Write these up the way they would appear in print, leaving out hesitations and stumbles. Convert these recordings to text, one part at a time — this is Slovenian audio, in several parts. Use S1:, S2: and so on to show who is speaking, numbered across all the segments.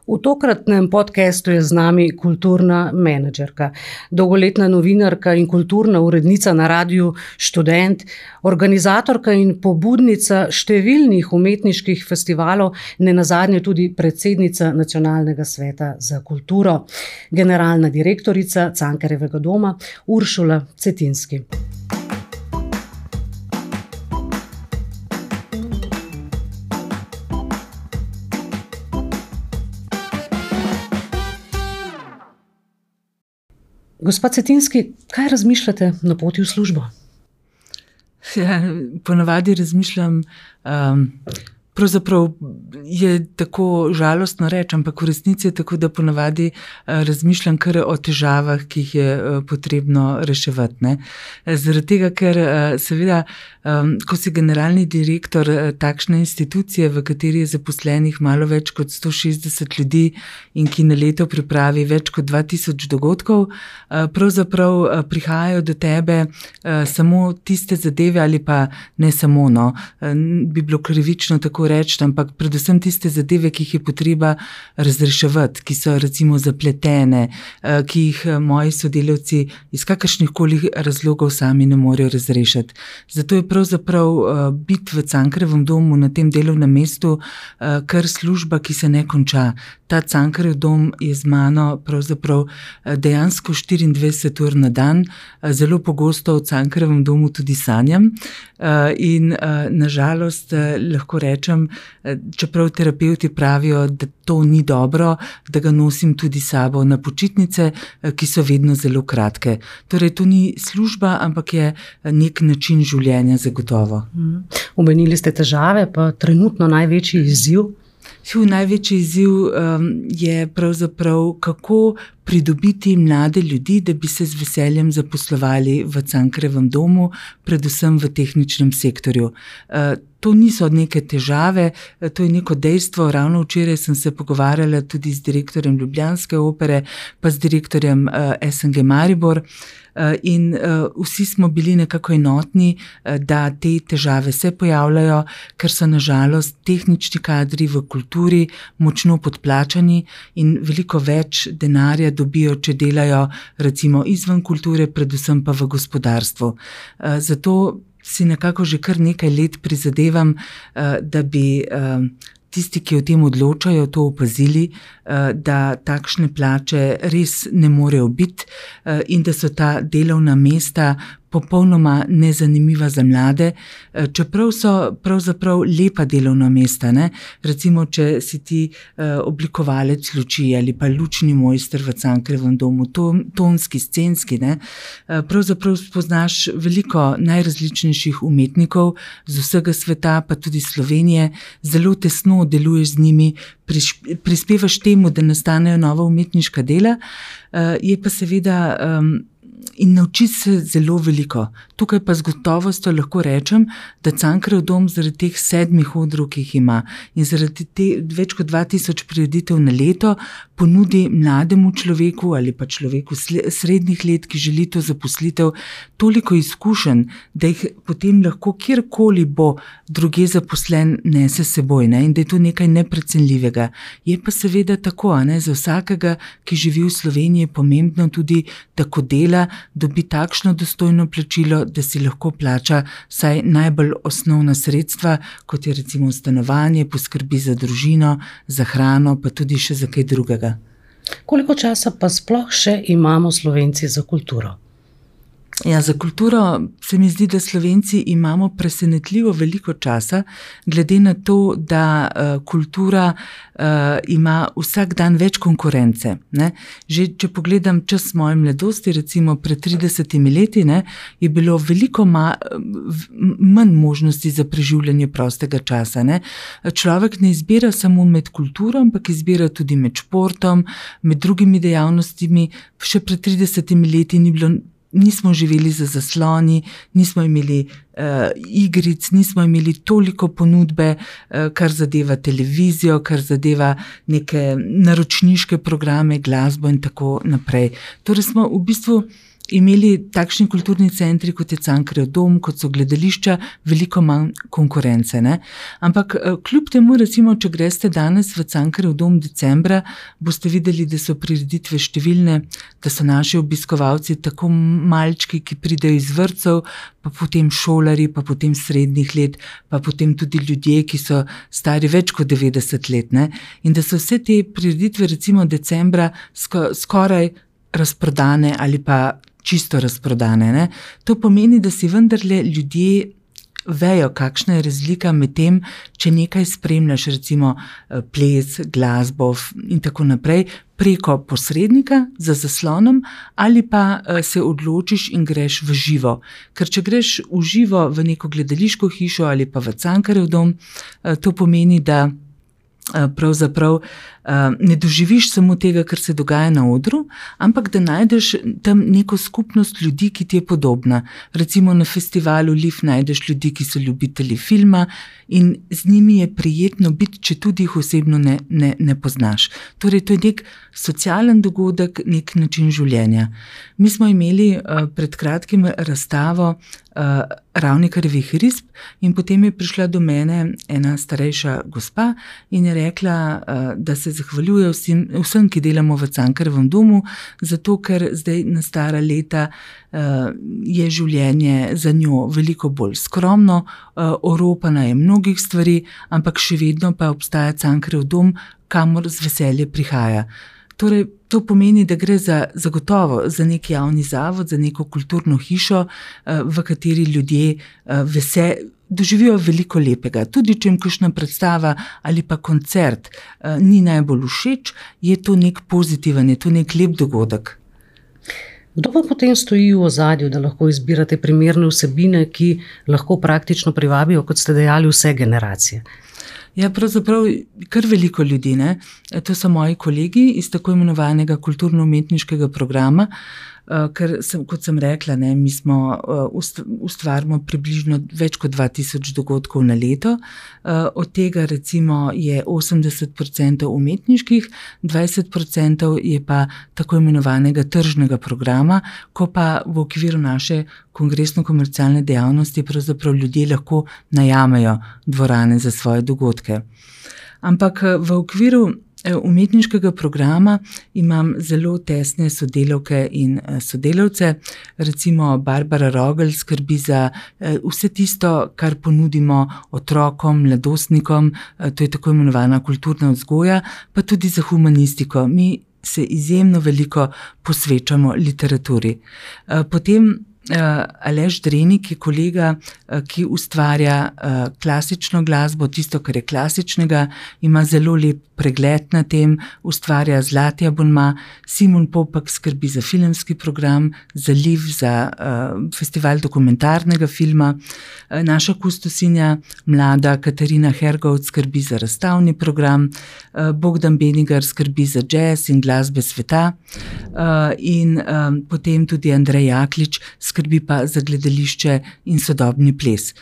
S1: V tokratnem podcastu je z nami kulturna menedžerka, dolgoletna novinarka in kulturna urednica na Radiu Študent, organizatorka in pobudnica številnih umetniških festivalov, nenazadnje tudi predsednica Nacionalnega sveta za kulturo, generalna direktorica Cankarjevega doma Uršula Cetinski. Gospa Cetinski, kaj razmišljate na poti v službo?
S2: Ja, ponavadi razmišljam, pravzaprav je tako žalostno reči, ampak v resnici je tako, da ponavadi razmišljam kar o težavah, ki jih je potrebno reševati, ne. Zaradi tega, ker seveda, ko si generalni direktor takšne institucije, v kateri je zaposlenih malo več kot 160 ljudi in ki na leto pripravi več kot 2000 dogodkov, pravzaprav prihajajo do tebe samo tiste zadeve ali pa ne samo, no, bi bilo krivično tako reči, ampak predvsem tiste zadeve, ki jih je potreba razreševati, ki so recimo zapletene, ki jih moji sodelavci iz kakršnihkoli razlogov sami ne morejo razrešiti. Zato je pravzaprav biti v Cankarjevem domu na tem delovnem mestu kar služba, ki se ne konča. Ta Cankarjev dom je z mano pravzaprav dejansko 24 ur na dan, zelo pogosto v Cankarjevem domu tudi sanjam in na žalost lahko rečem, čeprav terapevti pravijo, da to ni dobro, da ga nosim tudi s sabo na počitnice, ki so vedno zelo kratke. Torej, to ni služba, ampak je nek način življenja zagotovo.
S1: Omenili ste težave, pa trenutno največji izziv?
S2: Največji izziv je pravzaprav, kako pridobiti mlade ljudi, da bi se z veseljem zaposlovali v Cankarjevem domu, predvsem v tehničnem sektorju. To niso neke težave, to je neko dejstvo. Ravno včeraj sem se pogovarjala tudi z direktorjem Ljubljanske opere, pa z direktorjem SNG Maribor, in vsi smo bili nekako enotni, da te težave se pojavljajo, ker so na žalost tehnični kadri v kulturi močno podplačani in veliko več denarja dobijo, če delajo recimo izven kulture, predvsem pa v gospodarstvu. Zato si nekako že kar nekaj let prizadevam, da bi tisti, ki o tem odločajo, to opazili, da takšne plače res ne morejo biti in da so ta delovna mesta popolnoma nezanimiva za mlade, čeprav so pravzaprav lepa delovna mesta, ne. Recimo, če si ti oblikovalec luči ali pa lučni mojster v Cankarjevem domu, tonski, scenski, ne, pravzaprav spoznaš veliko najrazličnejših umetnikov z vsega sveta, pa tudi Slovenije, zelo tesno deluješ z njimi, prispevaš temu, da nastanejo nova umetniška dela, je pa seveda in nauči se zelo veliko. Tukaj pa z gotovostjo lahko rečem, da Cankarjev dom zaradi teh 7 odrov, ki jih ima, in zaradi več kot 2000 prireditev na leto ponudi mlademu človeku ali pa človeku srednjih let, ki želi to zaposlitev, toliko izkušenj, da jih potem lahko kjerkoli bo drugje zaposlen nese seboj, ne, in da je to nekaj neprecenljivega. Je pa seveda tako, ne, za vsakega, ki živi v Sloveniji, je pomembno tudi, da ko dela, dobi takšno dostojno plačilo, da si lahko plača vsaj najbolj osnovna sredstva, kot je recimo stanovanje, poskrbi za družino, za hrano, pa tudi še za kaj drugega.
S1: Koliko časa pa sploh še imamo Slovenci za kulturo?
S2: Ja, za kulturo se mi zdi, da Slovenci imamo presenetljivo veliko časa, glede na to, da kultura ima vsak dan več konkurence, ne. Že če pogledam čas moje mladosti, recimo pred 30 leti, ne, je bilo veliko manj možnosti za preživljanje prostega časa, ne. Človek ne izbira samo med kulturo, ampak izbira tudi med športom, med drugimi dejavnostmi. Še pred 30 leti nismo živeli za zasloni, nismo imeli igric, nismo imeli toliko ponudbe, kar zadeva televizijo, kar zadeva neke naročniške programe, glasbo in tako naprej. Torej smo v bistvu imeli takšni kulturni centri, kot je Cankarjev dom, kot so gledališča, veliko manj konkurence. Ne? Ampak kljub temu, recimo, če greste danes v Cankarjev dom decembra, boste videli, da so prireditve številne, da so naši obiskovalci tako malčki, ki pridejo iz vrtcev, pa potem šolari, pa potem srednjih let, pa potem tudi ljudje, ki so stari več kot 90 let. Ne? In da so vse te prireditve, recimo decembra, skoraj razprodane ali pa čisto razprodane. Ne? To pomeni, da si vendarle ljudje vejo, kakšna je razlika med tem, če nekaj spremljaš, recimo ples, glasbo in tako naprej, preko posrednika za zaslonom ali pa se odločiš in greš v živo. Ker če greš v živo v neko gledališko hišo ali pa v Cankarjev dom, to pomeni, da pravzaprav ne doživiš samo tega, kar se dogaja na odru, ampak da najdeš tam neko skupnost ljudi, ki ti je podobna. Recimo na festivalu LIF najdeš ljudi, ki so ljubitelji filma in z njimi je prijetno biti, če tudi jih osebno ne poznaš. Torej, to je nek socialen dogodek, nek način življenja. Mi smo imeli pred kratkim razstavo Ravnikarjevih risb in potem je prišla do mene ena starejša gospa in je rekla, da se zahvaljuje vsem, ki delamo v Cankarjevem domu, zato ker zdaj na stara leta je življenje za njo veliko bolj skromno, oropana je mnogih stvari, ampak še vedno pa obstaja Cankarjev dom, kamor z veselje prihaja. Torej, to pomeni, da gre zagotovo za nek javni zavod, za neko kulturno hišo, v kateri ljudje doživijo veliko lepega. Tudi če jim kakšna predstava ali pa koncert ni najbolj všeč, je to nek pozitiven, je to nek lep dogodek.
S1: Kdo pa potem stoji v ozadju, da lahko izbirate primerne vsebine, ki lahko praktično privabijo, kot ste dejali, vse generacije?
S2: Ja, pravzaprav kar veliko ljudi, ne. To so moji kolegi iz tako imenovanega kulturno-umetniškega programa, ker kot sem rekla, ne, mi smo ustvarimo približno več kot 2000 dogodkov na leto, od tega recimo je 80% umetniških, 20% je pa tako imenovanega tržnega programa, ko pa v okviru naše kongresno-komercialne dejavnosti pravzaprav ljudje lahko najamejo dvorane za svoje dogodke. Ampak v okviru umetniškega programa imam zelo tesne sodelavke in sodelavce. Recimo Barbara Rogel skrbi za vse tisto, kar ponudimo otrokom, mladostnikom, to je tako imenovana kulturna vzgoja, pa tudi za humanistiko. Mi se izjemno veliko posvečamo literaturi. Potem Aleš Drenik je kolega, ki ustvarja klasično glasbo, tisto, kar je klasičnega, ima zelo lep pregled na tem, ustvarja zlati abonma. Simon Popak skrbi za filmski program, za LIF, za festival dokumentarnega filma. Naša kustosinja, mlada Katarina Hergovc, skrbi za razstavni program, Bogdan Benigar skrbi za jazz in glasbe sveta in potem tudi Andrej Jaklič skrbi pa za gledališče in sodobni ples.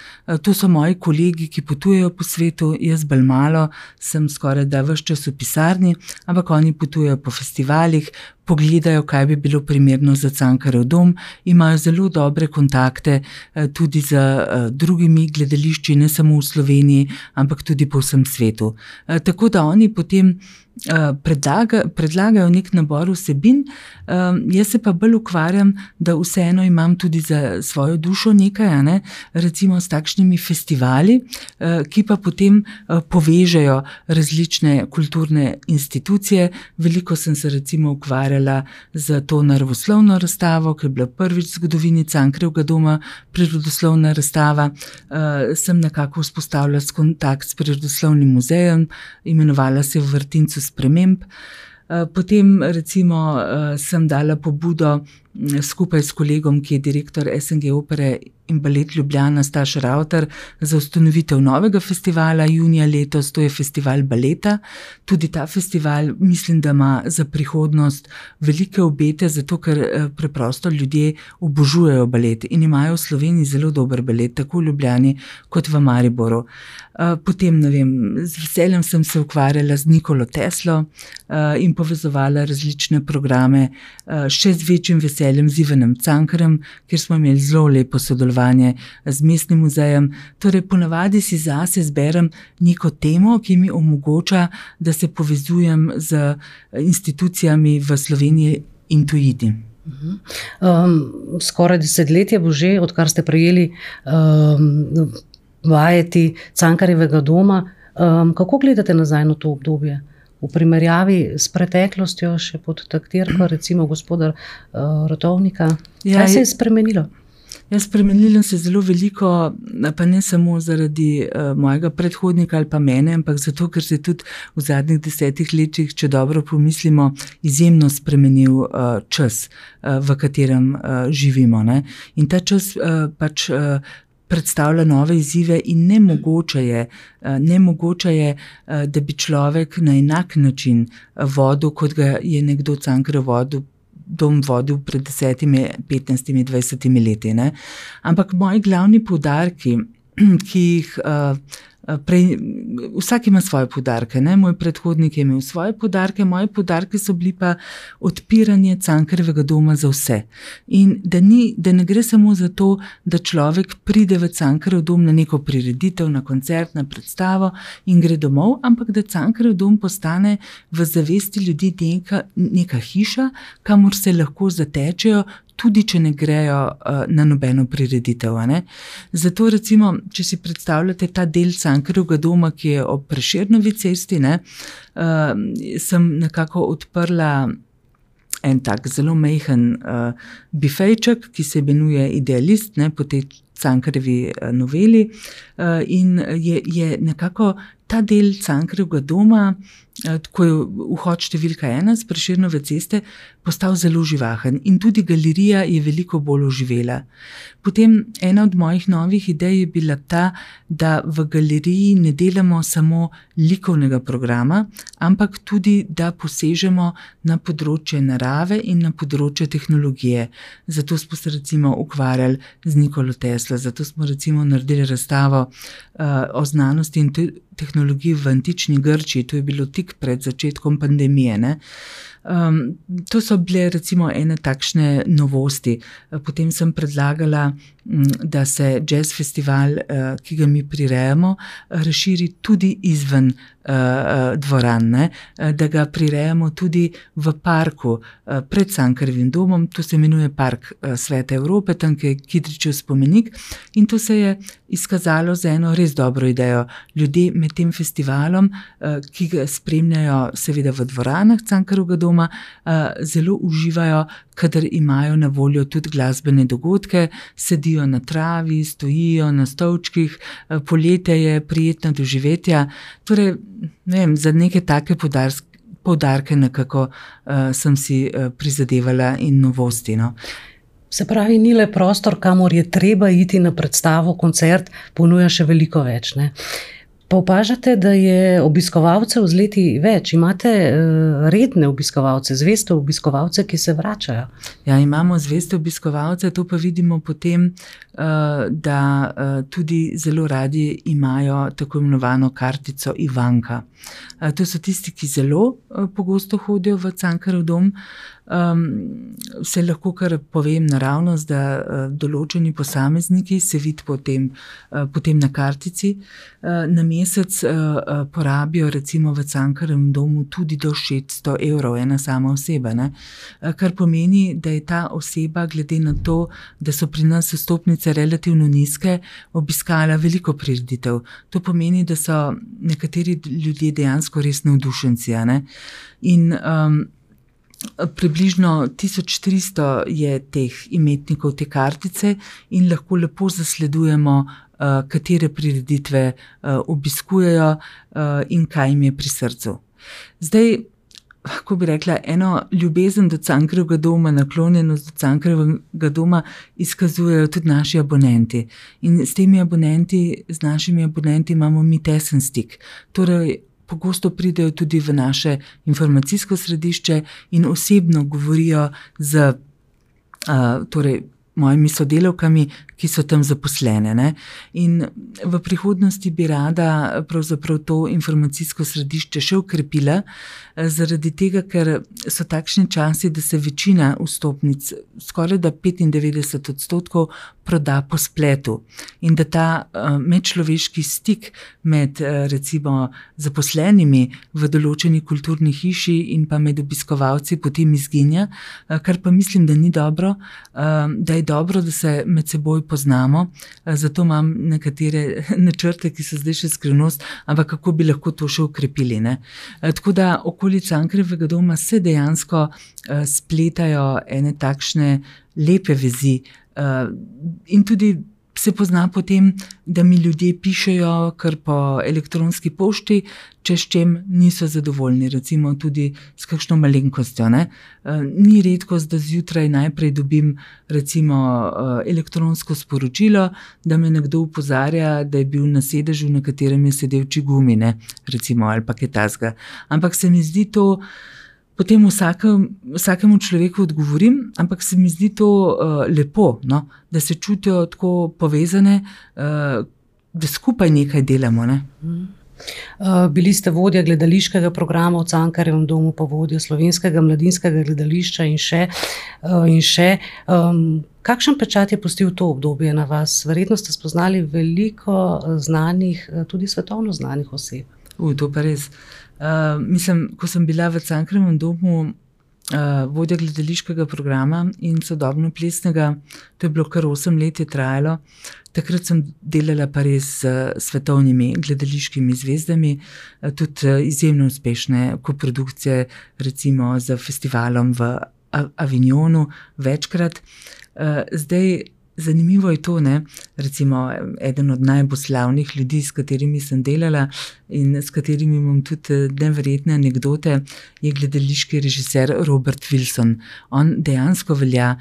S2: To so moji kolegi, ki potujejo po svetu, jaz bolj malo, sem skoraj da ves čas v pisarni, ampak oni potujejo po festivalih, pogledajo, kaj bi bilo primerno za Cankarjev dom, imajo zelo dobre kontakte tudi z drugimi gledališči, ne samo v Sloveniji, ampak tudi po vsem svetu. Tako da oni potem predlagajo nek nabor vsebin, jaz se pa bolj ukvarjam, da vseeno imam tudi za svojo dušo nekaj, ne? Recimo s takšnimi festivali, ki pa potem povežejo različne kulturne institucije. Veliko sem se recimo ukvarjala z to naravoslovno razstavo, ki je bila prvič v zgodovini Cankarjevega doma prirodoslovna razstava. Sem nekako vzpostavila kontakt s Prirodoslovnim muzejem, imenovala se v Vrtincu sprememb. Potem recimo sem dala pobudo skupaj s kolegom, ki je direktor SNG opere in balet Ljubljana, Staš Ravtar, za ustanovitev novega festivala junija letos, to je festival baleta. Tudi ta festival mislim, da ima za prihodnost velike obete, zato ker preprosto ljudje obožujejo balet in imajo v Sloveniji zelo dober balet, tako v Ljubljani kot v Mariboru. Potem, ne vem, z veseljem sem se ukvarjala z Nikolo Teslo in povezovala različne programe, še z večjim veseljem veseljem z Ivanom Cankarjem, kjer smo imeli zelo lepo sodelovanje z Mestnim muzejem. Torej, ponavadi si zase zberem neko temo, ki mi omogoča, da se povezujem z institucijami v Sloveniji in tujini.
S1: Skoraj desetletje bo že, odkar ste prejeli vajeti Cankarjevega doma. Kako gledate nazaj na to obdobje? V primerjavi s preteklostjo, še pod taktirko, recimo gospoda Rotovnika. Kaj se je spremenilo?
S2: Spremenilo se je zelo veliko, pa ne samo zaradi mojega predhodnika ali pa mene, ampak zato, ker se je tudi v zadnjih 10 letih, če dobro pomislimo, izjemno spremenil čas, v katerem živimo, ne? In ta čas pač predstavlja nove izzive in nemogoče je, da bi človek na enak način vodil, kot ga je nekdo Cankarjev dom vodil pred 10, 15, 20 leti. Ne? Ampak moji glavni poudarki, ki jih vsak ima svoje poudarke, ne? Moj predhodnik je imel svoje poudarke, moji poudarki so bili pa odpiranje Cankarjevega doma za vse. In da ne gre samo za to, da človek pride v Cankarjev dom na neko prireditev, na koncert, na predstavo in gre domov, ampak da Cankarjev dom postane v zavesti ljudi neka hiša, kamor se lahko zatečejo, tudi če ne grejo na nobeno prireditev. Ne? Zato recimo, če si predstavljate ta del Cankarjevega doma, ki je ob Prešernovi cesti, ne, sem nekako odprla en tak zelo majhen bifejček, ki se imenuje Idealist, ne, po tej Cankarjevi noveli, in je nekako ta del Cankarjevega doma, ko je vhod številka 1 z Prešernove ceste, postal zelo živahen in tudi galerija je veliko bolj oživela. Potem ena od mojih novih idej je bila ta, da v galeriji ne delamo samo likovnega programa, ampak tudi, da posežemo na področje narave in na področje tehnologije. Zato smo se recimo ukvarjali z Nikolo Teslo, zato smo recimo naredili razstavo o znanosti in tehnologiji v antični Grčiji, to je bilo tik pred začetkom pandemije, ne. To so bile recimo ene takšne novosti. Potem sem predlagala, da se jazz festival, ki ga mi prirejamo, razširi tudi izven dvoran, ne? Da ga prirejamo tudi v parku pred Cankarjevim domom, to se imenuje Park Svete Evrope, tam je Kidričev spomenik, in to se je izkazalo za eno res dobro idejo. Ljudje med tem festivalom, ki ga spremljajo seveda v dvoranah Cankarjevega doma, zelo uživajo, kadar imajo na voljo tudi glasbene dogodke, sedijo na travi, stojijo na stolčkih, poletje je, prijetna doživetja. Torej, ne vem, za neke take poudarke nekako sem si prizadevala in novosti, no.
S1: Se pravi, ni le prostor, kamor je treba iti na predstavo, koncert, ponuja še veliko več, ne? Pa opažate, da je obiskovalcev z leti več. Imate redne obiskovalce, zveste obiskovalce, ki se vračajo?
S2: Ja, imamo zveste obiskovalce, to pa vidimo potem, da tudi zelo radi imajo tako imenovano kartico Ivanka. To so tisti, ki zelo pogosto hodijo v Cankarjev dom. Se lahko kar povem naravnost, da določeni posamezniki se vidi potem na kartici. Na mesec porabijo recimo v Cankarjevem domu tudi do 600 €, ena sama oseba, ne? Kar pomeni, da je ta oseba glede na to, da so pri nas vstopnice relativno nizke, obiskala veliko prireditev. To pomeni, da so nekateri ljudje dejansko res navdušenci, ne? In približno 1300 je teh imetnikov te kartice in lahko lepo zasledujemo, katere prireditve obiskujejo in kaj jim je pri srcu. Zdaj, kako bi rekla, eno ljubezen do Cankarjevega doma, naklonjenost do Cankarjevega doma izkazujejo tudi naši abonenti. In z našimi abonenti imamo mi tesen stik. Torej, pogosto pridejo tudi v naše informacijsko središče in osebno govorijo z mojimi sodelavkami, ki so tam zaposlene, ne. In v prihodnosti bi rada pravzaprav to informacijsko središče še okrepila, zaradi tega, ker so takšni časi, da se večina vstopnic, skorajda 95%, proda po spletu. In da ta medčloveški stik med recimo zaposlenimi v določeni kulturni hiši in pa med obiskovalci potem izginja, kar pa mislim, da ni dobro, da je dobro, da se med seboj poznamo, zato imam nekatere načrte, ki so zdaj še skrivnost, ampak kako bi lahko to še ukrepili, ne. Tako da okoli Cankarjevega doma se dejansko spletajo ene takšne lepe vezi, in tudi se pozna potem, da mi ljudje pišejo kar po elektronski pošti, če s čem niso zadovoljni, recimo tudi s kakšno malenkostjo, ne. Ni redkost, da zjutraj najprej dobim recimo elektronsko sporočilo, da me nekdo opozarja, da je bil na sedežu, na katerem je sedel čigumi, ne, recimo, ali pa kaj takega. Ampak se mi zdi to, potem vsakemu človeku odgovorim, ampak se mi zdi to lepo, no, da se čutijo tako povezane, da skupaj nekaj delamo, ne.
S1: Bili ste vodja gledališkega programa v Cankarjevem domu, pa vodja Slovenskega mladinskega gledališča in še. Kakšen pečat je pustil to obdobje na vas? Verjetno ste spoznali veliko znanih, tudi svetovno znanih oseb.
S2: To pa res. Mislim, ko sem bila v Cankarjevem domu vodja gledališkega programa in sodobno-plesnega, to je bilo kar 8 let je trajalo, takrat sem delala pa res s svetovnimi gledališkimi zvezdami, tudi izjemno uspešne koprodukcije, recimo z festivalom v Avignonu večkrat. Zdaj, zanimivo je to, ne, recimo eden od najbolj slavnih ljudi, s katerimi sem delala in s katerimi imam tudi neverjetne anekdote, je gledališki režiser Robert Wilson. On dejansko velja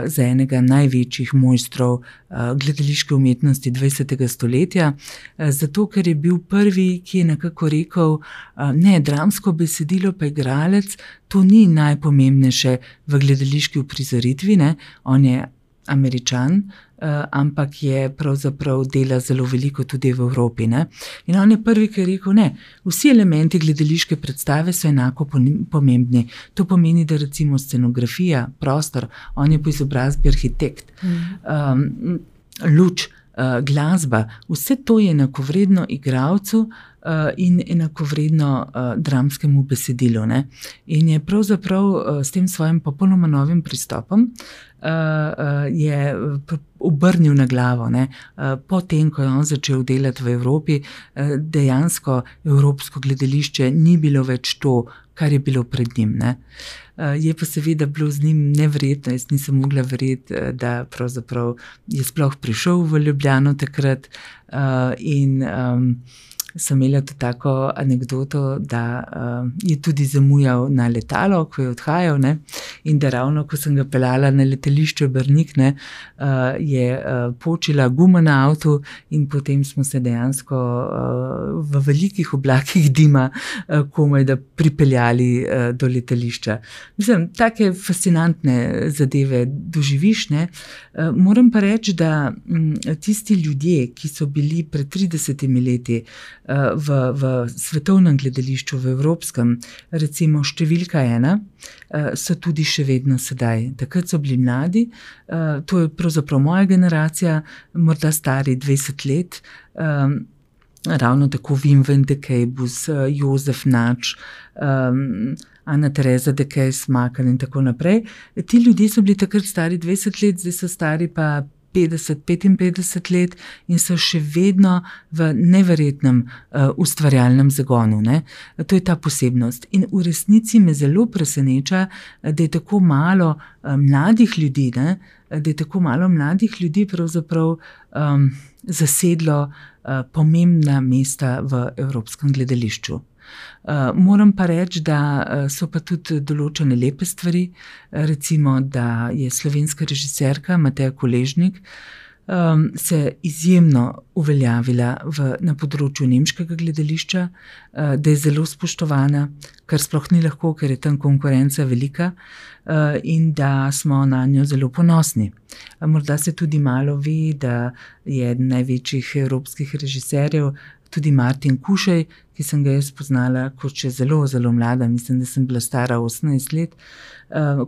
S2: za enega največjih mojstrov gledališke umetnosti 20. stoletja, zato ker je bil prvi, ki je nekako rekel, ne, dramsko besedilo pa igralec, to ni najpomembnejše v gledališki uprizoritvi, ne, on je Američan, ampak je pravzaprav dela zelo veliko tudi v Evropi, ne. In on je prvi, ki je rekel, ne, vsi elementi gledališke predstave so enako pomembni. To pomeni, da recimo scenografija, prostor, on je po izobrazbi arhitekt, luč, glasba, vse to je enakovredno igralcu in enakovredno dramskemu besedilu, ne. In je pravzaprav s tem svojim popolnoma novim pristopom je obrnil na glavo, ne. Potem, ko je on začel delati v Evropi, dejansko evropsko gledališče ni bilo več to, kar je bilo pred njim, ne. Je pa seveda bilo z njim neverjetno, jaz nisem mogla verjeti, da pravzaprav je sploh prišel v Ljubljano takrat, in sem imela tudi tako anekdoto, da je tudi zamujal na letalo, ko je odhajal, ne, in da ravno, ko sem ga peljala na letališče Brnik, ne, je počila guma na avtu in potem smo se dejansko v velikih oblakih dima komaj da pripeljali do letališča. Mislim, take fascinantne zadeve doživiš, ne. Moram pa reči, da tisti ljudje, ki so bili pred 30 leti v svetovnem gledališču, v evropskem, recimo številka 1, so tudi še vedno sedaj. Takrat so bili mladi, to je pravzaprav moja generacija, morda stari 20 let, ravno tako Wim Wendekejbus, Jozef Nač, Ana Tereza Dekej-Smakal in tako naprej. Ti ljudje so bili takrat stari 20 let, zdaj so stari pa 50-55 let in so še vedno v neverjetnem ustvarjalnem zagonu, ne. To je ta posebnost. In v resnici me zelo preseneča, da je tako malo mladih ljudi, ne, da je tako malo mladih ljudi pravzaprav zasedlo pomembna mesta v evropskem gledališču. Moram pa reči, da so pa tudi določene lepe stvari, recimo, da je slovenska režiserka Mateja Koležnik se izjemno uveljavila na področju nemškega gledališča, da je zelo spoštovana, kar sploh ni lahko, ker je tam konkurenca velika, in da smo na njo zelo ponosni. Morda se tudi malo ve, da je eden največjih evropskih režiserjev tudi Martin Kušej, ki sem ga jaz spoznala kot še zelo, zelo mlada, mislim, da sem bila stara 18 let,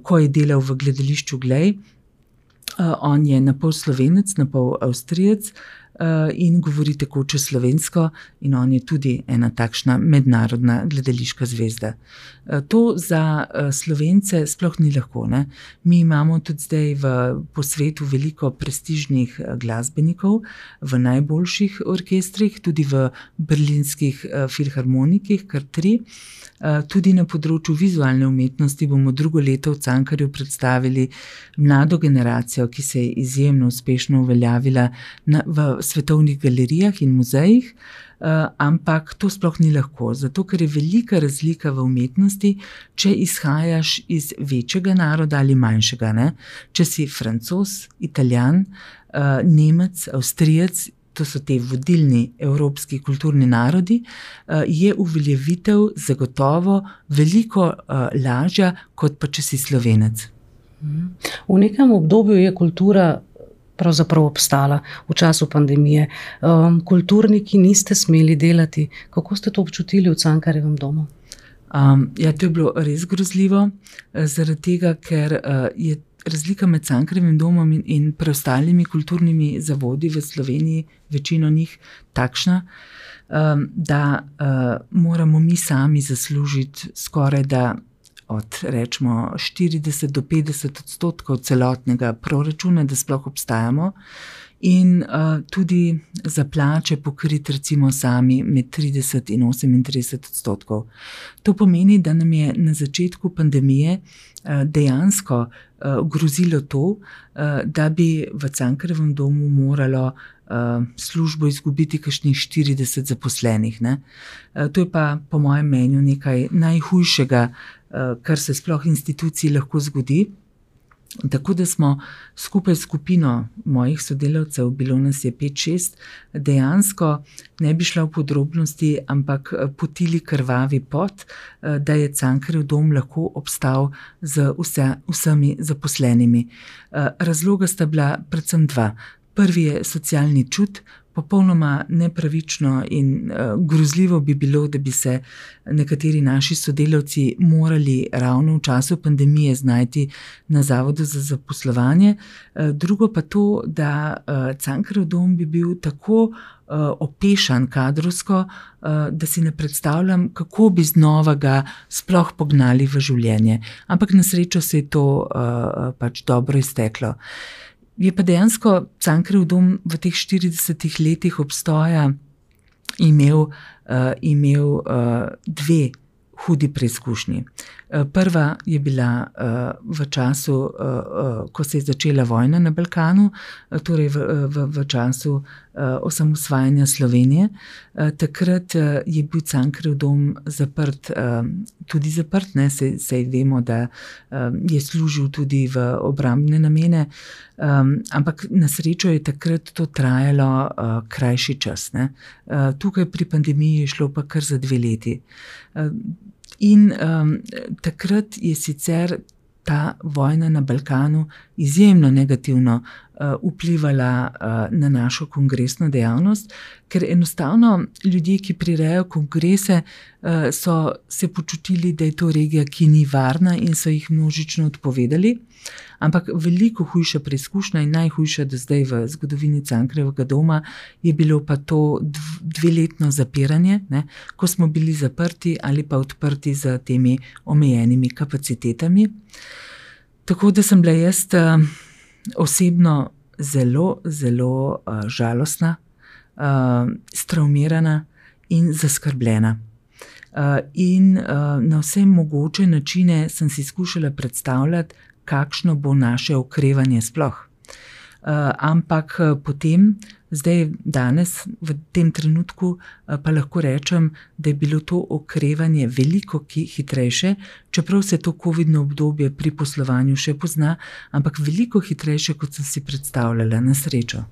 S2: ko je delal v gledališču Glej. On je napol Slovenec, napol Avstrijec in govori tekoče slovensko in on je tudi ena takšna mednarodna gledališka zvezda. To za Slovence sploh ni lahko, ne? Mi imamo tudi zdaj po svetu veliko prestižnih glasbenikov v najboljših orkestrih, tudi v berlinskih filharmonikih, kar 3. Tudi na področju vizualne umetnosti bomo drugo leto v Cankarju predstavili mlado generacijo, ki se je izjemno uspešno uveljavila v svetovnih galerijah in muzejih, ampak to sploh ni lahko, zato ker je velika razlika v umetnosti, če izhajaš iz večjega naroda ali manjšega, ne? Če si Francoz, Italijan, Nemec, Avstrijec, to so te vodilni evropski kulturni narodi, je uveljavitev zagotovo veliko lažja, kot pa če si Slovenec.
S1: V nekem obdobju je kultura pravzaprav obstala v času pandemije. Kulturniki niste smeli delati. Kako ste to občutili v Cankarjevem domu?
S2: Ja, to je bilo res grozljivo, zaradi tega, ker je razlika med Cankarjevim domom in preostalimi kulturnimi zavodi v Sloveniji, večino njih takšna, da moramo mi sami zaslužiti skoraj da od rečemo 40 do 50% celotnega proračuna, da sploh obstajamo, in tudi za plače pokriti recimo sami med 30 in 38%. To pomeni, da nam je na začetku pandemije dejansko grozilo to, da bi v Cankarjevem domu moralo službo izgubiti kakšnih 40 zaposlenih, ne. To je pa po mojem mnenju nekaj najhujšega, kar se sploh instituciji lahko zgodi. Tako da smo skupaj s skupino mojih sodelavcev, bilo nas je 5-6, dejansko ne bi šla v podrobnosti, ampak potili krvavi pot, da je Cankarjev dom lahko obstal z vsemi zaposlenimi. Razloga sta bila predvsem 2. Prvi je socialni čut. Popolnoma nepravično in grozljivo bi bilo, da bi se nekateri naši sodelavci morali ravno v času pandemije znajti na Zavodu za zaposlovanje. Drugo pa to, da Cankarjev dom bi bil tako opešan kadrovsko, da si ne predstavljam, kako bi znova ga sploh pognali v življenje. Ampak na srečo se je to pač dobro izteklo. Je pa dejansko Cankarjev dom v teh 40 letih obstoja imel 2 hudi preizkušnji. Prva je bila v času, ko se je začela vojna na Balkanu, torej v času osamosvajanja Slovenije. Takrat je bil Cankarjev dom zaprt, tudi zaprt, ne, saj vemo, da je služil tudi v obrambne namene, ampak na srečo je takrat to trajalo krajši čas, ne. Tukaj pri pandemiji je šlo pa kar za 2 leti. In takrat je sicer ta vojna na Balkanu izjemno negativno vplivala na našo kongresno dejavnost, ker enostavno ljudje, ki prirejajo kongrese, so se počutili, da je to regija, ki ni varna, in so jih množično odpovedali. Ampak veliko hujša preizkušnja in najhujša do zdaj v zgodovini Cankarjevega doma je bilo pa to 2-letno zapiranje, ne, ko smo bili zaprti ali pa odprti z temi omejenimi kapacitetami. Tako da sem bila jaz osebno zelo, zelo žalostna, stravmirana in zaskrbljena. In na vse mogoče načine sem si skušala predstavljati, kakšno bo naše okrevanje sploh. Ampak potem, zdaj danes, v tem trenutku, pa lahko rečem, da je bilo to okrevanje veliko hitrejše, čeprav se to covidno obdobje pri poslovanju še pozna, ampak veliko hitrejše, kot sem si predstavljala, na srečo.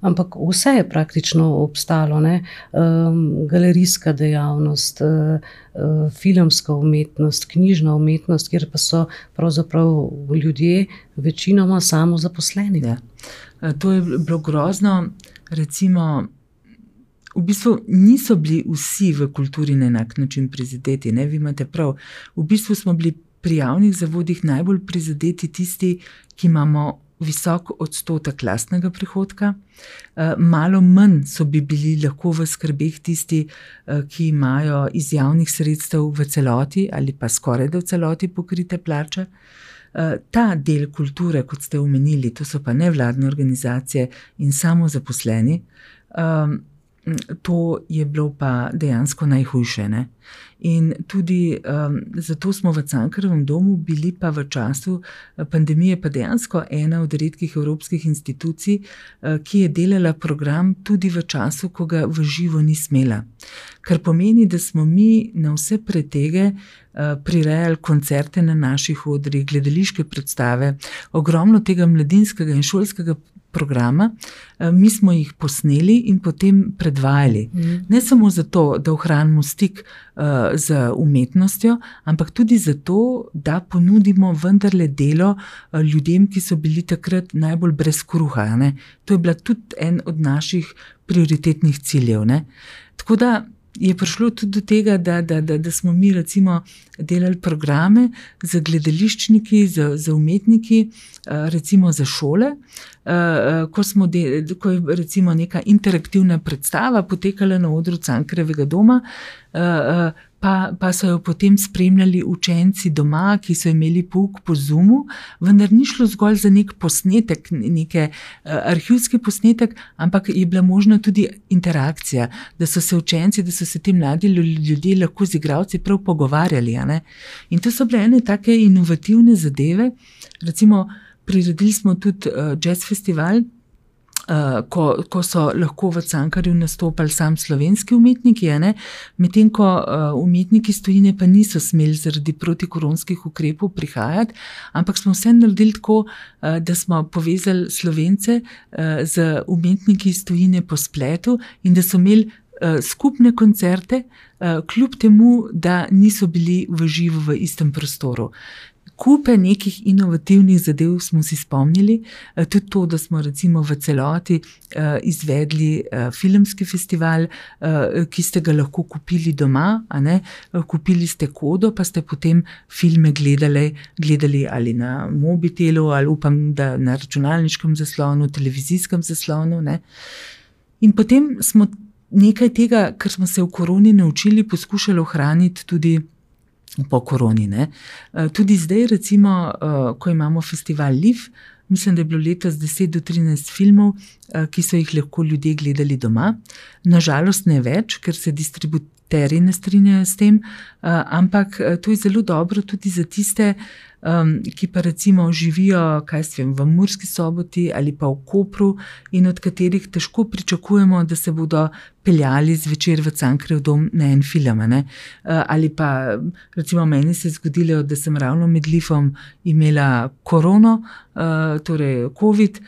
S1: Ampak vse je praktično obstalo, ne? Galerijska dejavnost, filmska umetnost, knjižna umetnost, kjer pa so pravzaprav ljudje večinoma samozaposleni.
S2: Ja. To je bilo grozno, recimo, v bistvu niso bili vsi v kulturi na enak način prizadeti, ne, vi imate prav. V bistvu smo bili pri javnih zavodih najbolj prizadeti tisti, ki imamo visok odstotek lastnega prihodka. Malo manj so bili lahko v skrbeh tisti, ki imajo iz javnih sredstev v celoti ali pa skoraj da v celoti pokrite plače. Ta del kulture, kot ste omenili, to so pa nevladne organizacije in samozaposleni, to je bilo pa dejansko najhujše, ne? In tudi zato smo v Cankarjevem domu bili pa v času pandemije pa dejansko ena od redkih evropskih institucij, ki je delala program tudi v času, ko ga v živo ni smela. Kar pomeni, da smo mi na vse pretege prirejali koncerte na naših odrih, gledališke predstave, ogromno tega mladinskega in šolskega programa, mi smo jih posneli in potem predvajali. Ne samo zato, da ohranimo stik z umetnostjo, ampak tudi zato, da ponudimo vendarle delo ljudem, ki so bili takrat najbolj brez kruha, ne? To je bila tudi en od naših prioritetnih ciljev, ne? Tako da je prišlo tudi do tega, da smo mi recimo delali programe za gledališčniki, za umetniki, recimo za šole, ko je recimo neka interaktivna predstava potekala na odru Cankarjevega doma, pa so jo potem spremljali učenci doma, ki so imeli pouk po Zoomu, vendar ni šlo zgolj za nek posnetek, neke arhivski posnetek, ampak je bila možna tudi interakcija, da so se učenci, da so se ti mladi ljudje lahko z igralci prav pogovarjali, a ne? In to so bile ene take inovativne zadeve, recimo priredili smo tudi jazz festival, ko so lahko v Cankarju nastopali sam slovenski umetniki, medtem ko umetniki iz tujine pa niso smeli zaradi protikoronskih ukrepov prihajati, ampak smo vse naredili tako, da smo povezali Slovence z umetniki iz tujine po spletu in da so imeli skupne koncerte, kljub temu, da niso bili v živo v istem prostoru. Kupe nekih inovativnih zadev smo si spomnili, tudi to, da smo recimo v celoti izvedli filmski festival, ki ste ga lahko kupili doma, a ne? Kupili ste kodo, pa ste potem filme gledali ali na mobitelu, ali upam, da na računalniškem zaslonu, televizijskem zaslonu, ne? In potem smo nekaj tega, kar smo se v koroni naučili, poskušali ohraniti tudi po koroni, ne. Tudi zdaj recimo, ko imamo festival Liv, mislim, da je bilo letos 10 do 13 filmov, ki so jih lahko ljudje gledali doma. Na žalost ne več, ker se distributerji ne strinjajo s tem, ampak to je zelo dobro tudi za tiste, ki pa recimo živijo, v Murski Soboti ali pa v Kopru in od katerih težko pričakujemo, da se bodo peljali zvečer v Cankarjev dom na en film, ne? Ali pa recimo meni se je zgodilo, da sem ravno med Livom imela korono, torej COVID,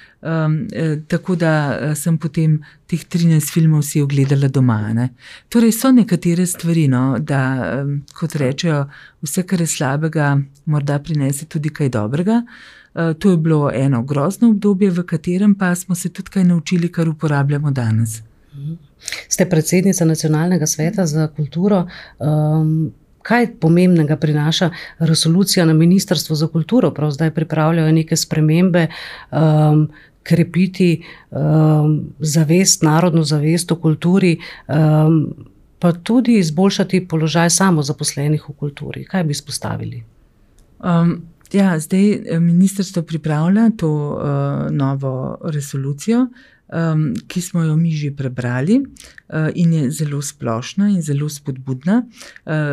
S2: tako da sem potem teh 13 filmov si ogledala doma, ne? Torej so nekatere stvari, no, da kot rečejo, vse, kar je slabega, morda prinese tudi kaj dobrega. To je bilo eno grozno obdobje, v katerem pa smo se tudi kaj naučili, kar uporabljamo danes.
S1: Ste predsednica Nacionalnega sveta za kulturo. Kaj pomembnega prinaša resolucija na Ministrstvu za kulturo? Prav zdaj pripravljajo neke spremembe, krepiti zavest, narodno zavest o kulturi, pa tudi izboljšati položaj samozaposlenih v kulturi. Kaj bi izpostavili?
S2: Zdaj ministrstvo pripravlja to novo resolucijo, ki smo jo mi že prebrali in je zelo splošna in zelo spodbudna.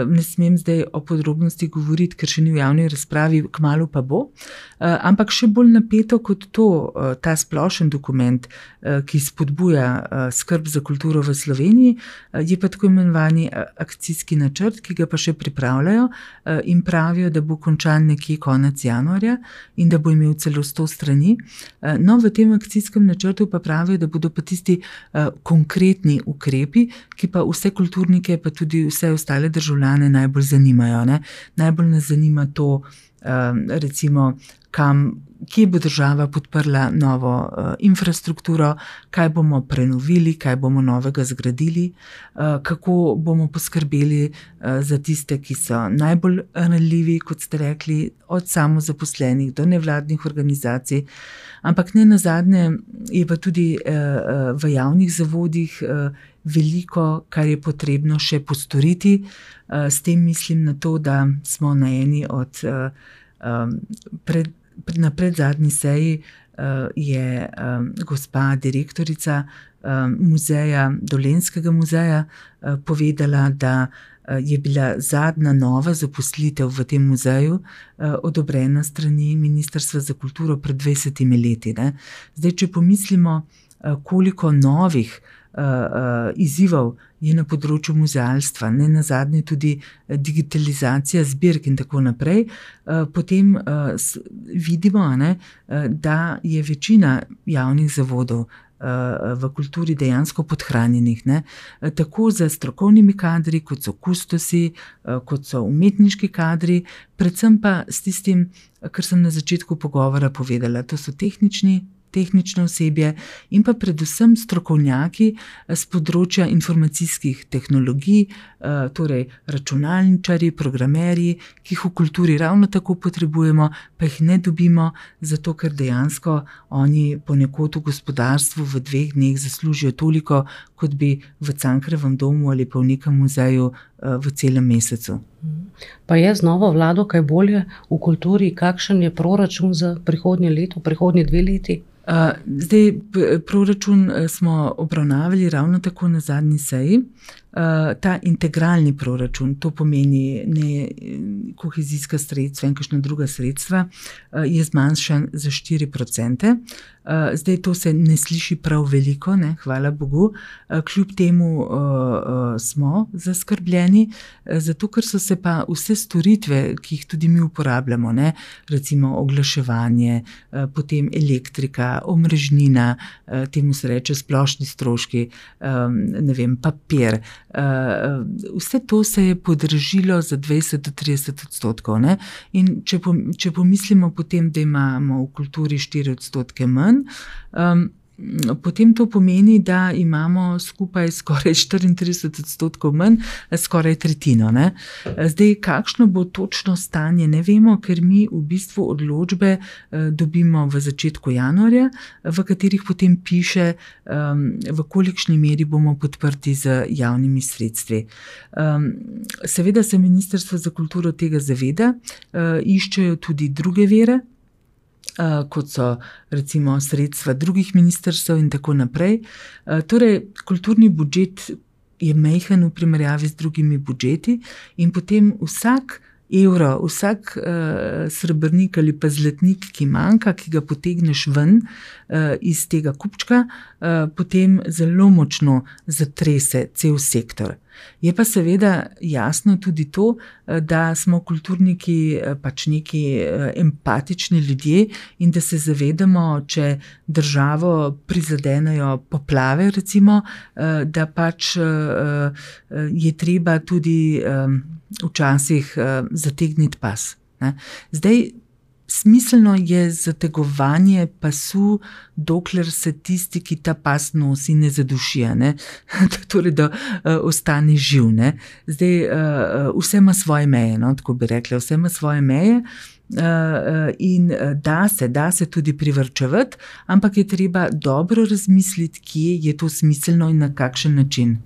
S2: Ne smem zdaj o podrobnosti govoriti, ker še ni v javni razpravi, kmalu pa bo. Ampak še bolj napeto kot to, ta splošen dokument, ki spodbuja skrb za kulturo v Sloveniji, je pa tako imenovani akcijski načrt, ki ga pa še pripravljajo in pravijo, da bo končan nekje konec januarja in da bo imel celo 100 strani. No, v tem akcijskem načrtu pa pravijo, postavijo, da bodo pa tisti konkretni ukrepi, ki pa vse kulturnike, pa tudi vse ostale državljane najbolj zanimajo. Ne? Najbolj nas zanima to, recimo, kje bo država podprla novo infrastrukturo, kaj bomo prenovili, kaj bomo novega zgradili, kako bomo poskrbeli za tiste, ki so najbolj ranljivi, kot ste rekli, od samozaposlenih do nevladnih organizacij. Ampak ne nazadnje je pa tudi v javnih zavodih veliko, kar je potrebno še postoriti. S tem mislim na to, da smo na eni od na predzadnji seji je gospa direktorica muzeja, Dolenjskega muzeja, povedala, da je bila zadnja nova zaposlitev v tem muzeju odobrena strani Ministrstva za kulturo pred 20 leti. Ne? Zdaj, če pomislimo, koliko novih izzivov je na področju muzealstva, ne nazadnje tudi digitalizacija zbirk in tako naprej, potem vidimo, da je večina javnih zavodov v kulturi dejansko podhranjenih, ne? Tako za strokovnimi kadri, kot so kustosi, kot so umetniški kadri, predvsem pa s tistim, kar sem na začetku pogovora povedala, to so tehnično osebje in pa predvsem strokovnjaki z področja informacijskih tehnologij, torej računalničarji, programerji, ki jih v kulturi ravno tako potrebujemo, pa jih ne dobimo, zato ker dejansko oni ponekod v gospodarstvu v 2 dneh zaslužijo toliko, kot bi v Cankarjevem domu ali pa v nekem muzeju v celem mesecu.
S1: Pa je z novo vlado kaj bolje v kulturi? Kakšen je proračun za prihodnje leto, prihodnje 2 leti?
S2: Zdaj, proračun smo obravnavali ravno tako na zadnji seji. Ta integralni proračun, to pomeni ne kohezijska sredstva in kakšna druga sredstva, je zmanjšan za 4%. Zdaj, to se ne sliši prav veliko, ne, hvala Bogu, kljub temu smo zaskrbljeni, zato ker so se pa vse storitve, ki jih tudi mi uporabljamo, ne, recimo oglaševanje, potem elektrika, omrežnina, temu se reče splošni stroški, ne vem, papir, vse to se je podražilo za 20-30%. Ne? In če pomislimo potem, da imamo v kulturi 4% manj, potem to pomeni, da imamo skupaj skoraj 34% manj, skoraj tretjino. Ne? Zdaj, kakšno bo točno stanje, ne vemo, ker mi v bistvu odločbe dobimo v začetku januarja, v katerih potem piše, v kolikšni meri bomo podprti z javnimi sredstvi. Seveda se Ministrstvo za kulturo tega zaveda, iščejo tudi druge vire, kot so recimo sredstva drugih ministrstev in tako naprej. Torej, kulturni budžet je majhen v primerjavi z drugimi budžeti in potem vsak evro, vsak srebrnik ali pa zlatnik, ki manjka, ki ga potegneš ven iz tega kupčka, potem zelo močno zatrese cel sektor. Je pa seveda jasno tudi to, da smo kulturniki pač neki empatični ljudje in da se zavedamo, če državo prizadenejo poplave, recimo, da pač je treba tudi včasih zategniti pas. Ne? Zdaj, smiselno je zategovanje pasu, dokler se tisti, ki ta pas nosi, ne zaduši, ne? Torej, da ostane živ. Ne? Zdaj, vse ima svoje meje, no? Tako bi rekla, vse ima svoje meje. In da se tudi privarčevati, ampak je treba dobro razmisliti, kje je to smiselno in na kakšen način.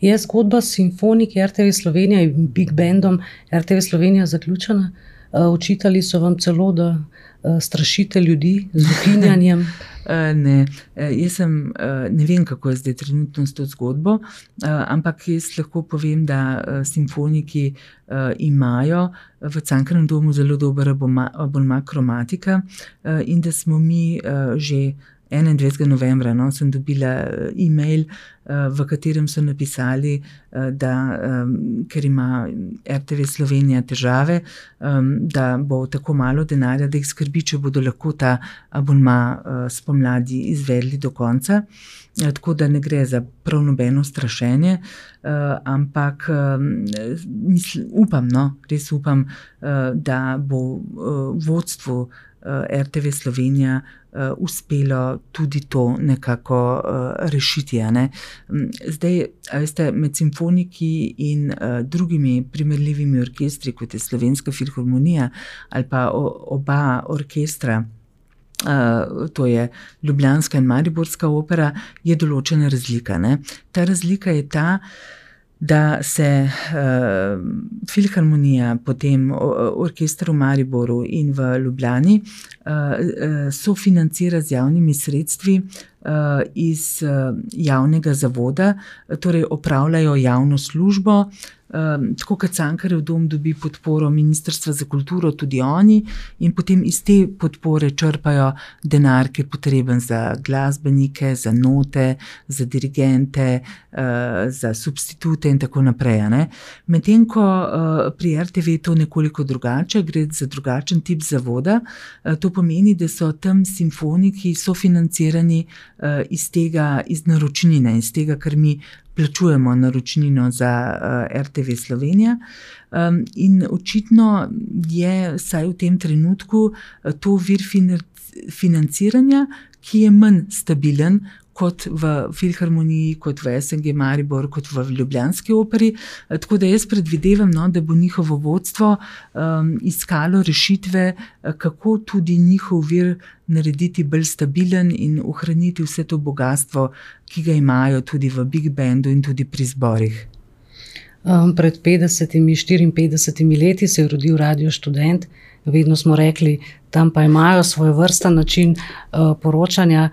S1: Je zgodba s simfoniki RTV Slovenija in Big Bandom RTV Slovenija zaključena? Očitali so vam celo, da strašite ljudi z ukinjanjem?
S2: Ne, jaz ne vem, kako je zdaj trenutno s to zgodbo, ampak jaz lahko povem, da simfoniki imajo v Cankarjevem domu zelo dober abonma Kromatika in da smo mi že 21. novembra sem dobila e-mail v katerem so napisali, da ker ima RTV Slovenija težave, da bo tako malo denarja, da jih skrbi, če bodo lahko ta abonma spomladi izvedli do konca. Tako da ne gre za prav nobeno strašenje, ampak upam, res upam, da bo vodstvu RTV Slovenija uspelo tudi to nekako rešiti. Zdaj, veste, med simfoniki in drugimi primerljivimi orkestri, kot je Slovenska filharmonija ali pa oba orkestra, to je ljubljanska in mariborska opera, je določena razlika. Ta razlika je ta, da se filharmonija, potem orkester v Mariboru in v Ljubljani sofinancira z javnimi sredstvi iz javnega zavoda, torej opravljajo javno službo, tako kot Cankarjev dom dobi podporo Ministrstva za kulturo, tudi oni, in potem iz te podpore črpajo denar, ki je potreben za glasbenike, za note, za dirigente, za substitute in tako naprej. Medtem ko pri RTV je to nekoliko drugače, gre za drugačen tip zavoda. To pomeni, da so tam simfoniki sofinancirani iz naročnine, iz tega, kar mi plačujemo naročnino za RTV Slovenija. In očitno je vsaj v tem trenutku to vir financiranja, ki je manj stabilen kot v filharmoniji, kot v SNG Maribor, kot v ljubljanski operi. Tako da jaz predvidevam, da bo njihovo vodstvo iskalo rešitve, kako tudi njihov vir narediti bolj stabilen in ohraniti vse to bogastvo, ki ga imajo tudi v Big Bandu in tudi pri zborih.
S1: Pred 54 leti se je rodil Radio Študent. Vedno smo rekli, tam pa imajo svoj vrsten način poročanja.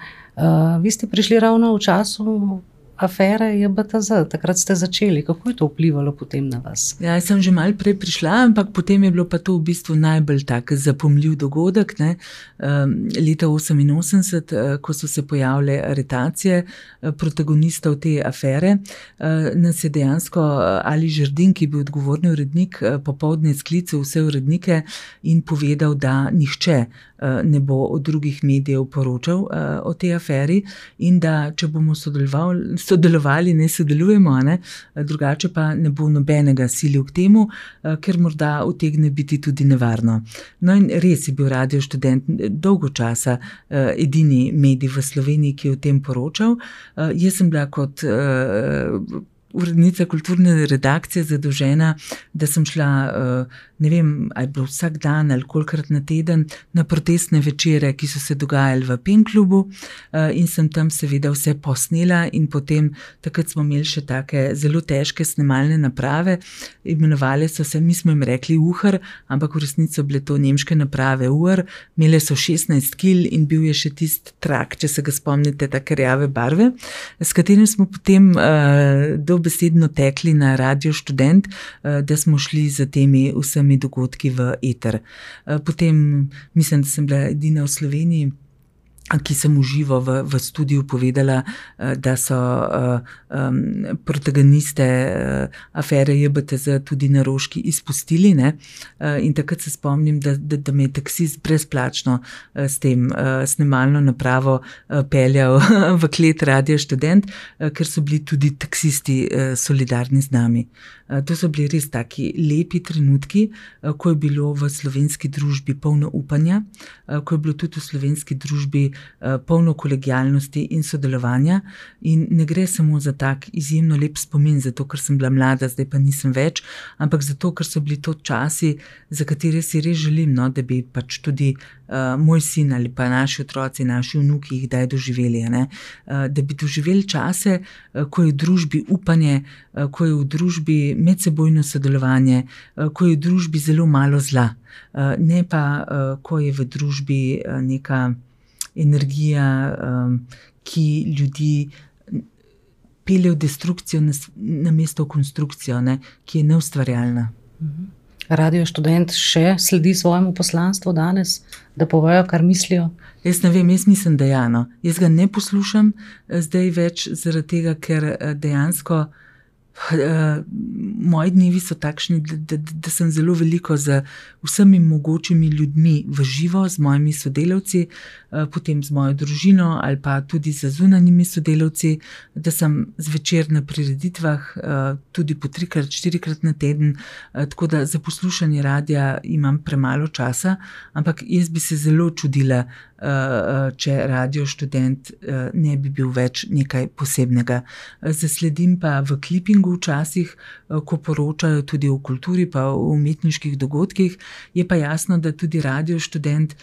S1: Vi ste prišli ravno v času afere JBTZ, takrat ste začeli. Kako je to vplivalo potem na vas?
S2: Ja, jaz sem že malo prej prišla, ampak potem je bilo pa to v bistvu najbolj tak zapomljiv dogodek. Leta 1988, ko so se pojavile aretacije protagonistov te afere, nas je dejansko Ali Žerdin, ki je bil odgovorni urednik, popoldne sklical vse urednike in povedal, da nihče ne bo od drugih medijev poročal o tej aferi in da če bomo sodelovali, ne sodelujemo, drugače pa ne bo nobenega silil k temu, ker morda utegne biti tudi nevarno. No in res je bil Radio Študent dolgo časa edini medij v Sloveniji, ki je o tem poročal. Jaz sem bila kot urednica kulturne redakcije zadolžena, da sem šla, ne vem, ali bilo vsak dan ali kolikrat na teden, na protestne večere, ki so se dogajali v PEN klubu, in sem tam seveda vse posnela in potem takrat smo imeli še take zelo težke snemalne naprave, imenovali so se, mi smo jim rekli UHR, ampak v resnici so bile to nemške naprave UR, imele so 16 kil in bil je še tisti trak, če se ga spomnite, take rjave barve, s katerim smo potem dobesedno tekli na Radio Študent, da smo šli za temi vsemi dogodki v eter. Potem mislim, da sem bila edina v Sloveniji, ki sem v živo v studiu povedala, da so protagoniste afere JBTZ tudi na Roški izpustili. In takrat se spomnim, da me je taksist brezplačno s tem snemalno napravo peljal v klet Radio Študent, ker so bili tudi taksisti solidarni z nami. To so bili res taki lepi trenutki, ko je bilo v slovenski družbi polno upanja, ko je bilo tudi v slovenski družbi polno kolegialnosti in sodelovanja, in ne gre samo za tak izjemno lep spomin, zato ker sem bila mlada, zdaj pa nisem več, ampak zato, ker so bili to časi, za katere si res želim, da bi pač tudi moj sin ali pa naši otroci, naši vnuki jih kdaj doživeli, da bi doživeli čase, ko je v družbi upanje, ko je v družbi medsebojno sodelovanje, ko je v družbi zelo malo zla, ne pa, ko je v družbi neka energija, ki ljudi pelje v destrukcijo namesto v konstrukcijo, ki je neustvarjalna.
S1: Radio Študent še sledi svojemu poslanstvu danes, da povejo, kar mislijo?
S2: Jaz ne vem, jaz mislim, da ja, no. Jaz ga ne poslušam zdaj več zaradi tega, ker dejansko moji dnevi so takšni, da sem zelo veliko z vsemi mogočimi ljudmi v živo, z mojimi sodelavci, potem z mojo družino ali pa tudi z zunanjimi sodelavci, da sem zvečer na prireditvah, tudi po 3-krat, 4-krat na teden, tako da za poslušanje radia imam premalo časa, ampak jaz bi se zelo čudila, če Radio Študent ne bi bil več nekaj posebnega. Zasledim pa v klipingu včasih, ko poročajo tudi o kulturi pa o umetniških dogodkih, je pa jasno, da tudi Radio Študent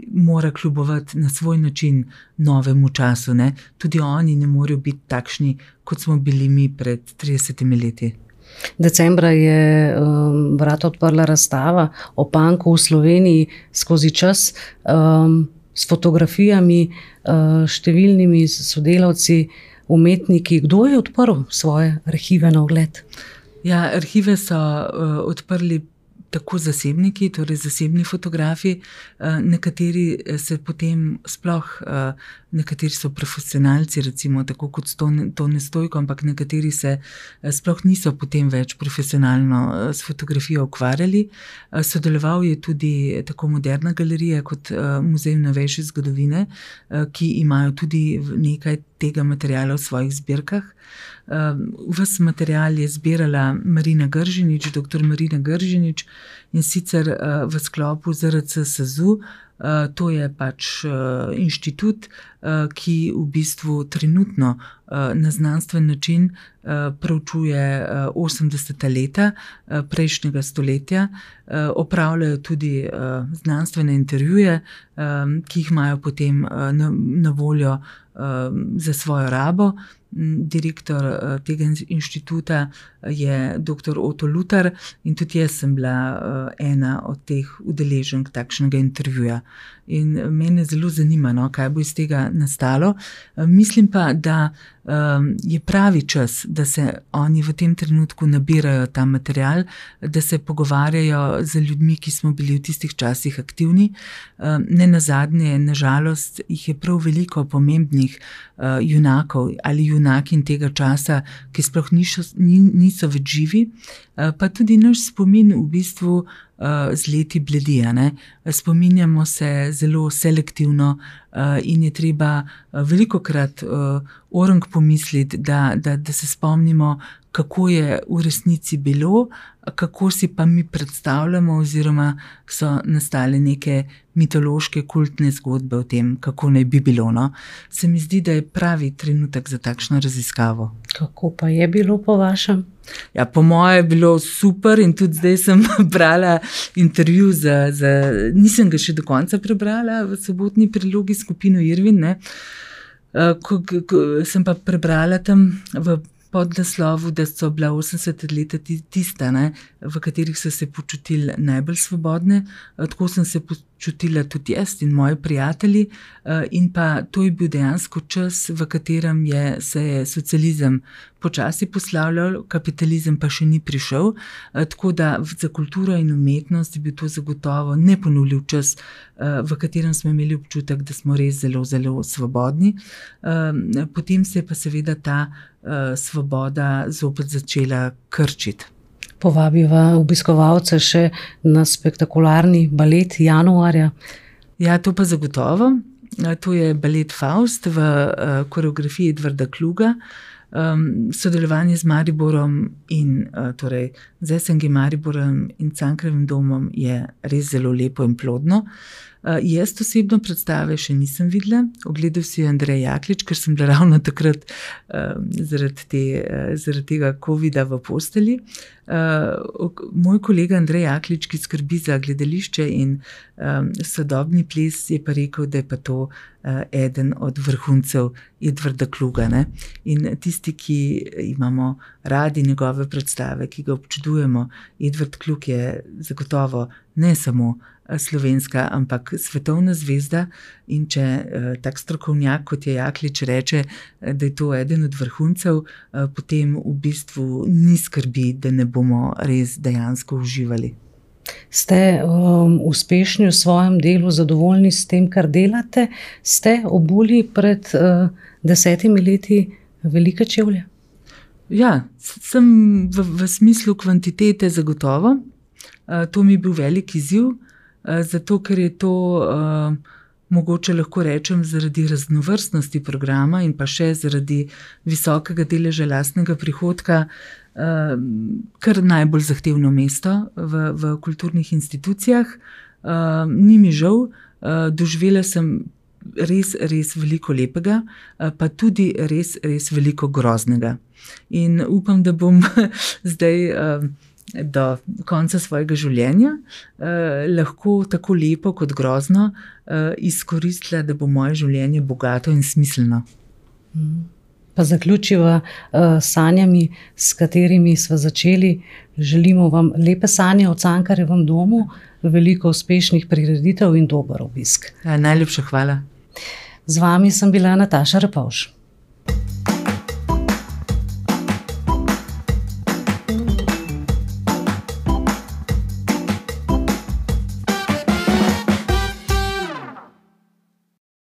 S2: mora kljubovati na svoj način novemu času, ne. Tudi oni ne morejo biti takšni, kot smo bili mi pred 30 leti.
S1: Decembra je vrata odprla razstava o punku v Sloveniji skozi čas, s fotografijami, številnimi sodelavci, umetniki. Kdo je odprl svoje arhive na ogled?
S2: Ja, arhive so odprli tako zasebniki, torej zasebni fotografi, nekateri se potem sploh, nekateri so profesionalci, recimo tako kot Tone Stojko, ampak nekateri se sploh niso potem več profesionalno s fotografijo ukvarjali. Sodeloval je tudi tako Moderna galerija kot Muzej novejše zgodovine, ki imajo tudi nekaj tega materiala v svojih zbirkah. Ves material je zbirala Marina Gržinič, dr. Marina Gržinič, in sicer v sklopu ZRC SAZU. To je pač inštitut, ki v bistvu trenutno na znanstven način proučuje 80. leta prejšnjega stoletja. Opravljajo tudi znanstvene intervjuje, ki jih imajo potem na voljo za svojo rabo. Direktor tega inštituta je dr. Oto Lutar in tudi jaz sem bila ena od teh udeleženk takšnega intervjuja. In mene zelo zanima, no, kaj bo iz tega nastalo. Mislim pa, da je pravi čas, da se oni v tem trenutku nabirajo ta material, da se pogovarjajo z ljudmi, ki smo bili v tistih časih aktivni. Nenazadnje, na žalost, jih je prav veliko pomembnih junakov ali junakinj tega časa, ki sploh niso več živi, pa tudi naš spomin v bistvu z leti bledi, ne. Spominjamo se zelo selektivno in je treba velikokrat orang pomisliti, da se spomnimo, kako je v resnici bilo, kako si pa mi predstavljamo oziroma so nastale neke mitološke kultne zgodbe o tem, kako naj bi bilo, no. Se mi zdi, da je pravi trenutek za takšno raziskavo.
S1: Kako pa je bilo po vašem?
S2: Ja, po moje je bilo super in tudi zdaj sem brala intervju nisem ga še do konca prebrala v sobotni prilogi skupino Irvin, ne. Ko sem pa prebrala tam v podnaslovu, da so bila 80 leta tista, ne, v katerih so se počutili najbolj svobodne. Tako sem se počutila tudi jaz in moji prijatelji, in pa to je bil dejansko čas, v katerem se je socializem počasi poslavljal, kapitalizem pa še ni prišel, tako da za kulturo in umetnost je bil to zagotovo neponovljiv čas, v katerem smo imeli občutek, da smo res zelo, zelo svobodni. Potem se je pa seveda ta svoboda zopet začela krčiti.
S1: Povabiva obiskovalce še na spektakularni balet januarja.
S2: Ja, to pa zagotovo. To je balet Faust v koreografiji Edvarda Kluga. Sodelovanje z Mariborom in torej z SNG Mariborom in Cankarjevim domom je res zelo lepo in plodno. Jaz osebno predstave še nisem videla, ogledal si Andrej Jaklič, ker sem bila ravno takrat zaradi tega covida v postelji. Moj kolega Andrej Jaklič, ki skrbi za gledališče in sodobni ples, je pa rekel, da je pa to eden od vrhuncev Edvarda Kluga, ne. In tisti, ki imamo radi njegove predstave, ki ga občudujemo, napredujemo. Edvard Kluk je zagotovo ne samo slovenska, ampak svetovna zvezda, in če tak strokovnjak, kot je Jaklič, reče, da je to eden od vrhuncev, potem v bistvu ni skrbi, da ne bomo res dejansko uživali.
S1: Ste uspešni v svojem delu, zadovoljni s tem, kar delate? Ste obuli pred 10 leti velike čevlje?
S2: Ja, sem v smislu kvantitete zagotovo. To mi je bil velik izziv, zato ker je to, mogoče lahko rečem, zaradi raznovrstnosti programa in pa še zaradi visokega deleža lastnega prihodka, kar najbolj zahtevno mesto v kulturnih institucijah. Ni mi žal, doživela sem res veliko lepega, pa tudi res veliko groznega. In upam, da bom zdaj do konca svojega življenja lahko tako lepo kot grozno izkoristila, da bo moje življenje bogato in smiselno.
S1: Pa zaključiva sanjami, s katerimi sva začeli. Želimo vam lepe sanje o Cankarjevem domu, veliko uspešnih prireditev in dober obisk.
S2: Najlepša hvala.
S1: Z vami sem bila Nataša Repovž.